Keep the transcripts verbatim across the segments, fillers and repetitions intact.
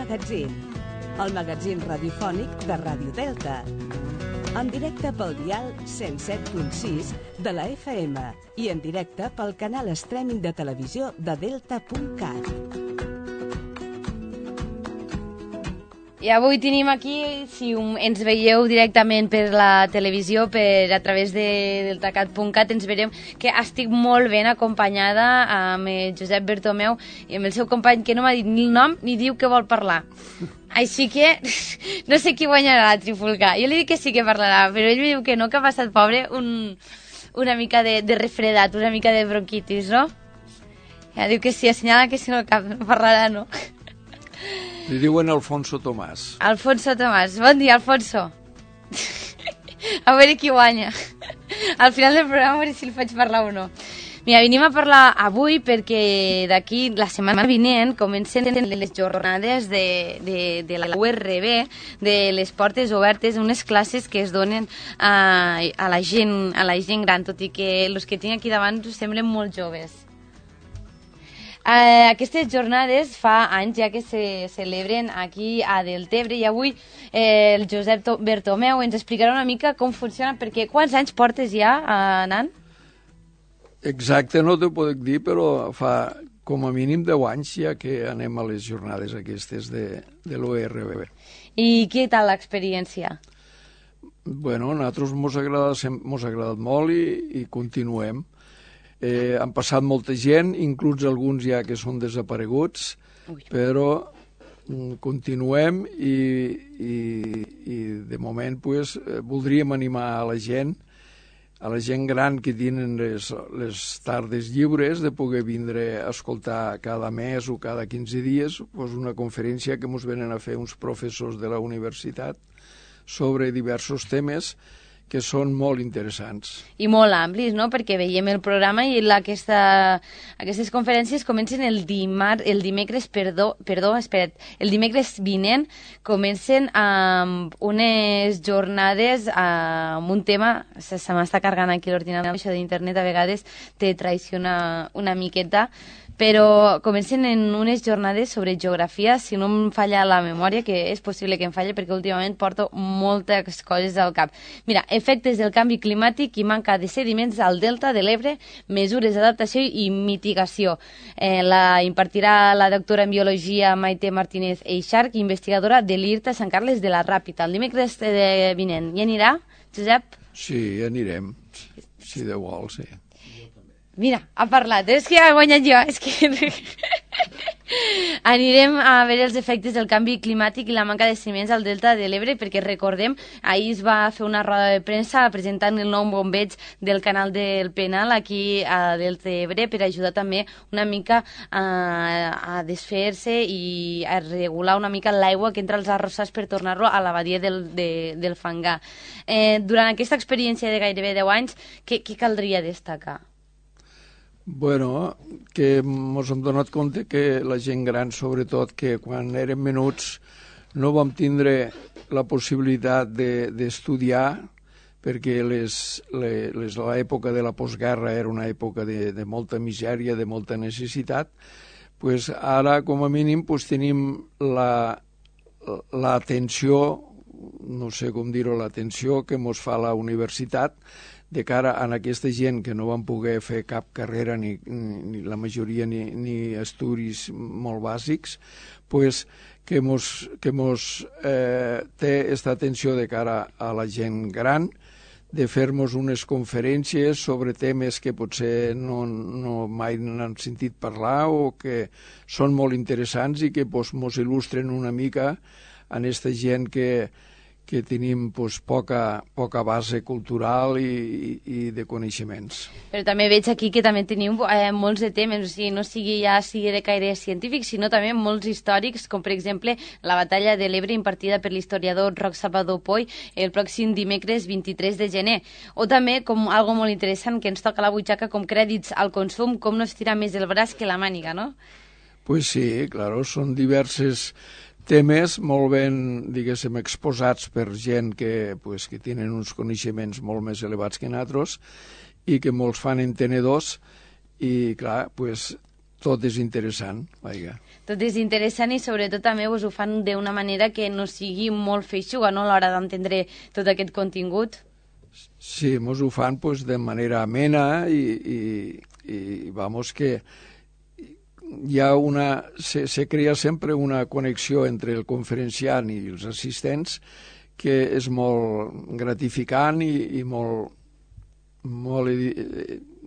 Magazín, el magazín radiofònic de Ràdio Delta. En directe pel dial cent set punt sis de la F M i en directe pel canal streaming de televisió de delta punt cat. I avui tenim aquí, si ens veieu directament per la televisió, per a través de deltacat punt cat, ens veurem que estic molt ben acompanyada amb Josep Bertomeu i amb el seu company, que no m'ha dit ni el nom ni diu que vol parlar. Així que no sé qui guanyarà la trifulca. Jo li dic que sí que parlarà, però ell me diu que no, que ha passat, pobre, un, una mica de, de refredat, una mica de bronquitis, no? Ja diu que sí, assenyala que si no, cap, no parlarà, no? Li diuen Alfonso Tomàs. Alfonso Tomàs. Bon dia, Alfonso. A veure qui guanya. Al final del programa a veure si el faig parlar o no. Mira, venim a parlar avui perquè d'aquí la setmana vinent comencen les jornades de, de, de la U R B, de les portes obertes, unes classes que es donen a, a, la gent, a la gent gran, tot i que els que tinc aquí davant us semblen molt joves. Uh, aquestes jornades fa anys ja que se celebren aquí a Deltebre i avui eh, el Josep Bertomeu ens explicarà una mica com funciona, perquè quants anys portes ja uh, anant? Exacte, no t'ho puc dir, però fa com a mínim deu anys ja que anem a les jornades aquestes de, de l'U R B. I què tal l'experiència? Bueno, a nosaltres mos ha agradat, mos ha agradat molt i, i continuem. Eh, han passat molta gent, inclús alguns ja que són desapareguts, Ui. però mm, continuem i, i, i de moment pues, eh, voldríem animar a la gent, a la gent gran que tenen les, les tardes lliures, de poder vindre a escoltar cada mes o cada quinze dies pues, una conferència que ens venen a fer uns professors de la universitat sobre diversos temes que són molt interessants. I molt amplis, no?, perquè veiem el programa i la, aquesta, aquestes conferències comencen el, dimar, el dimecres, perdó, perdó, espera't, el dimecres vinent comencen amb unes jornades amb un tema, se, se m'està carregant aquí l'ordinador, això d'internet a vegades te traiciona una miqueta, però comencen en unes jornades sobre geografia, si no em falla la memòria, que és possible que em falle perquè últimament porto moltes coses al cap. Mira, efectes del canvi climàtic i manca de sediments al delta de l'Ebre, mesures d'adaptació i mitigació. Eh, la impartirà la doctora en biologia Maite Martínez Eixarch, investigadora de l'I R T A Sant Carles de la Ràpita. El dimecres de vinent. Hi anirà, Josep? Sí, anirem, si Déu vol, sí. Mira, ha parlat, és que ha guanyat jo, és que... Anirem a veure els efectes del canvi climàtic i la manca de sediments al delta de l'Ebre, perquè recordem, ahir es va fer una roda de premsa presentant el nou bombeig del canal del Penal aquí a Deltebre per ajudar també una mica a, a desfer-se i a regular una mica l'aigua que entra als arrossars per tornar-lo a la badia del, de, del Fangar. Eh, durant aquesta experiència de gairebé deu anys, què, què caldria destacar? Bueno, que ens hem donat compte que la gent gran, sobretot, que quan érem menuts no vam tindre la possibilitat d'estudiar, de, perquè les, les, l'època de la postguerra era una època de, de molta misèria, de molta necessitat, pues ara, com a mínim, pues, tenim l'atenció, la, no sé com dir-ho, l'atenció que ens fa la universitat, de cara a aquesta gent que no van poder fer cap carrera, ni, ni la majoria, ni, ni estudis molt bàsics, pues, que mos, que mos eh, té aquesta atenció de cara a la gent gran, de fer-nos unes conferències sobre temes que potser no, no mai n'han sentit parlar o que són molt interessants i que pues, mos il·lustren una mica en aquesta gent que que tenim pues, poca, poca base cultural i, i, i de coneixements. Però també veig aquí que també teniu eh, molts de temes, o sigui, no sigui ja sigui de caire científic, sinó també molts històrics, com per exemple la batalla de l'Ebre impartida per l'historiador Roc Salvador Poy el pròxim dimecres vint-i-tres de gener. O també, com algo molt interessant que ens toca a la butxaca, com crèdits al consum, com no estirar més el braç que la màniga, no? Pues sí, claro, són diverses temes molt ben, diguéssim, exposats per gent que, pues, que tenen uns coneixements molt més elevats que nosaltres i que molts fan entenedors i, clar, pues, tot és interessant, vaja. Tot és interessant i sobretot també us ho fan d'una manera que no sigui molt feixuga, no?, a l'hora d'entendre tot aquest contingut. Sí, mos ho fan pues, de manera amena i, i, i vamos que hi ha una, se, se crea sempre una connexió entre el conferenciant i els assistents que és molt gratificant i, i molt, molt,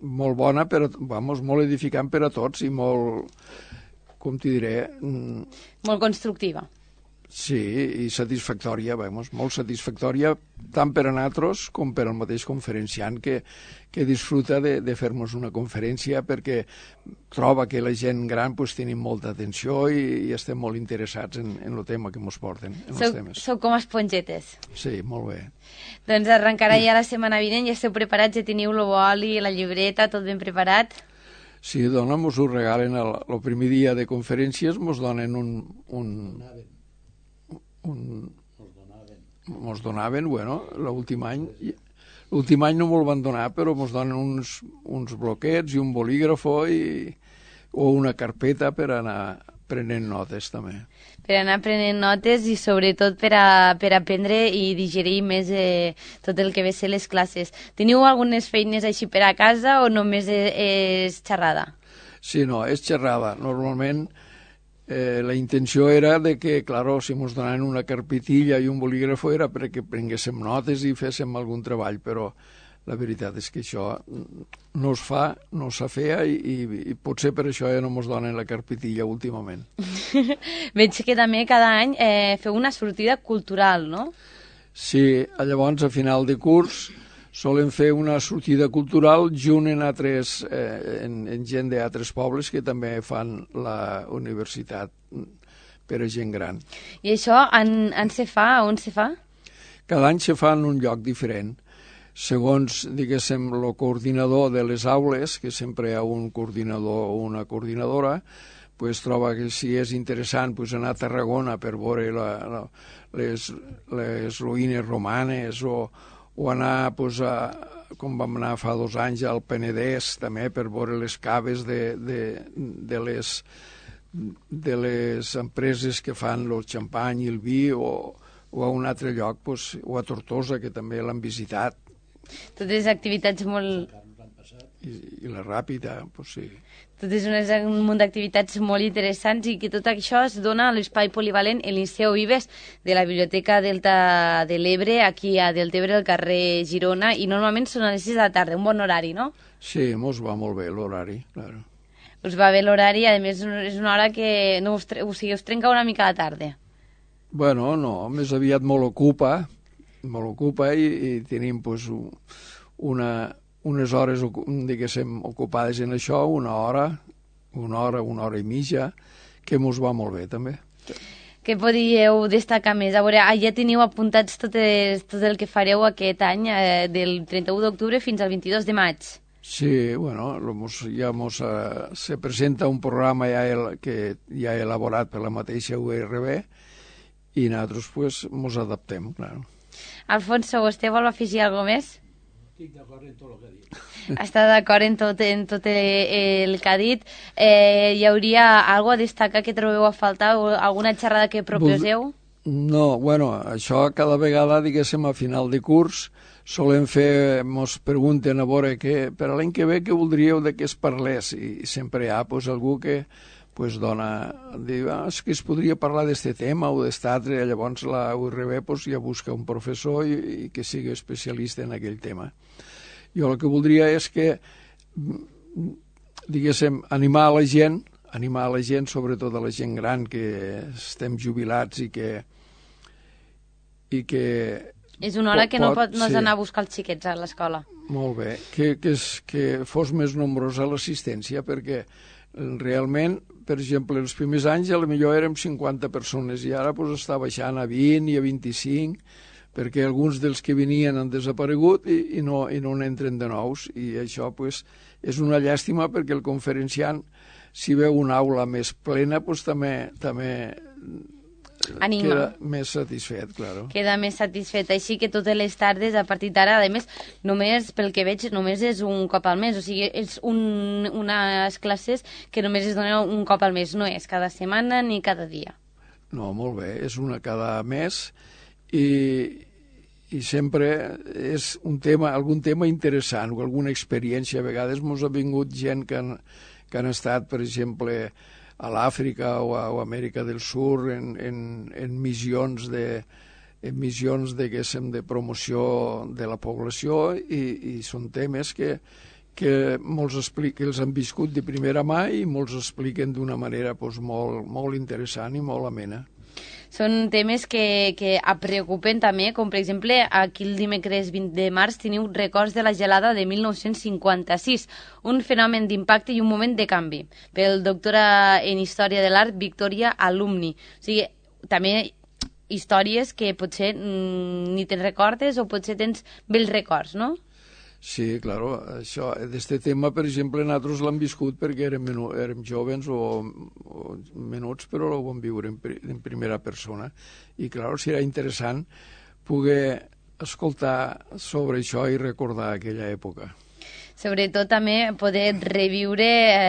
molt bona, per, vamos, molt edificant per a tots i molt, com t'hi diré... Molt constructiva. Sí, i satisfactòria, vamos, molt satisfactòria, tant per a nosaltres com per al mateix conferenciant que, que disfruta de, de fer-nos una conferència perquè troba que la gent gran pues, tenim molta atenció i, i estem molt interessats en, en el tema que ens porten. En sou, els temes. Sou com espongetes. Sí, molt bé. Doncs arrencarà ja la setmana vinent, ja esteu preparats, ja teniu el boli, la llibreta, tot ben preparat? Sí, dona, mos ho regalen el, el primer dia de conferències, mos donen un... un Un... Mos donaven, bueno, l'últim any l'últim any no me'l van donar, però mos donen uns, uns bloquets i un bolígrafo i, o una carpeta per anar prenent notes també. Per anar prenent notes i sobretot per, a, per aprendre i digerir més eh, tot el que ve ser les classes. Teniu algunes feines així per a casa o només és, és xerrada? Sí, no, és xerrada. Normalment Eh, la intenció era de que, claro, si ens donaven una carpetilla i un bolígrafo era perquè prenguéssim notes i féssim algun treball, però la veritat és que això no es fa, no s'ha feia i, i, i potser per això ja no ens donen la carpetilla últimament. Veig que també cada any eh, feu una sortida cultural, no? Sí, llavors a final de curs solen fer una sortida cultural junt en, altres, eh, en, en gent d'altres pobles que també fan la universitat per a gent gran. I això en, en se fa? On se fa? Cada any se fa en un lloc diferent. Segons, diguéssim, el coordinador de les aules, que sempre hi ha un coordinador o una coordinadora, pues, troba que si és interessant pues, anar a Tarragona per veure la, la, les, les ruïnes romanes o o anar, pues, a, com vam anar fa dos anys, al Penedès, també, per veure les caves de, de, de, les, de les empreses que fan el xampany i el vi, o, o a un altre lloc, pues, o a Tortosa, que també l'han visitat. Totes activitats molt... I, i la Ràpida, pues sí. Totes unes, un munt d'activitats molt interessants i que tot això es dona a l'espai polivalent el Liceu Vives de la Biblioteca Delta de l'Ebre, aquí a Deltebre, al carrer Girona, i normalment són a les sis de la tarda, un bon horari, no? Sí, mos va molt bé l'horari, claro. Us va bé l'horari, a més és una hora que no us, o sigui, us trenca una mica la tarda. Bueno, no, més aviat molt ocupa, molt ocupa i, i tenim pues, una... unes hores, diguéssim, ocupades en això, una hora, una hora, una hora i mitja, que mos va molt bé, també. Què podíeu destacar més? A veure, ja teniu apuntats tot, es, tot el que fareu aquest any, eh, del trenta-u d'octubre fins al vint-i-dos de maig. Sí, bueno, mos, ja mos, uh, se presenta un programa ja el, que ja he elaborat per la mateixa U R B i nosaltres, pues, mos adaptem, clar. Alfonso, vostè vol afegir alguna cosa més? Estic d'acord en tot el que ha dit. Està d'acord en tot, en tot el que ha dit. Eh, hi hauria alguna a destacar que trobeu a faltar? Alguna xerrada que proposeu? No, bueno, això cada vegada, diguéssim, a final de curs, solem fer, mos pregunten a veure que, per a l'any que ve què voldríeu de què es parlés, i sempre hi ha pues, algú que pues, dona, diu, ah, és que es podria parlar d'este tema o d'este altre, llavors la U R B pues, ja busca un professor i, i que sigui especialista en aquell tema. Jo el que voldria és que, diguéssim, animar a la gent, animar a la gent, sobretot a la gent gran, que estem jubilats i que... I que és una hora pot, que no pot no sí. anar a buscar els xiquets a l'escola. Molt bé, que, que, és, que fos més nombrosa l'assistència, perquè realment, per exemple, els primers anys a lo millor érem cinquanta persones i ara pues, està baixant a vint i a vint-i-cinc, perquè alguns dels que venien han desaparegut i, i, no, i no n'entren de nous, i això pues, és una llàstima perquè el conferenciant, si veu una aula més plena, pues, també, també Anima. queda més satisfet, claro. Queda més satisfet. Així que totes les tardes, a partir d'ara, a més, només, pel que veig, només és un cop al mes. O sigui, és un, unes classes que només es donen un cop al mes. No és cada setmana ni cada dia. No, molt bé, és una cada mes i, i sempre és un tema, algun tema interessant o alguna experiència. A vegades ens ha vingut gent que han, que han estat, per exemple, a l'Àfrica o a, o a Amèrica del Sur en, en, en missions de en missions de, de promoció de la població i, i són temes que, que molts expliquen, els han viscut de primera mà i molts expliquen d'una manera doncs, molt, molt interessant i molt amena. Són temes que, que preocupen també, com per exemple aquí el dimecres vint de març teniu records de la gelada de mil nou-cents cinquanta-sis, un fenomen d'impacte i un moment de canvi, pel doctora en Història de l'Art Victoria Alumni. O sigui, també històries que potser mm, ni te'n recordes o potser tens bells records, no? Sí, claro, això, d'este tema, per exemple, nosaltres l'hem viscut perquè érem, menu, érem jovens o, o menuts, però ho vam viure en, en primera persona. I, clar, serà interessant poder escoltar sobre això i recordar aquella època. Sobretot també poder reviure... Eh,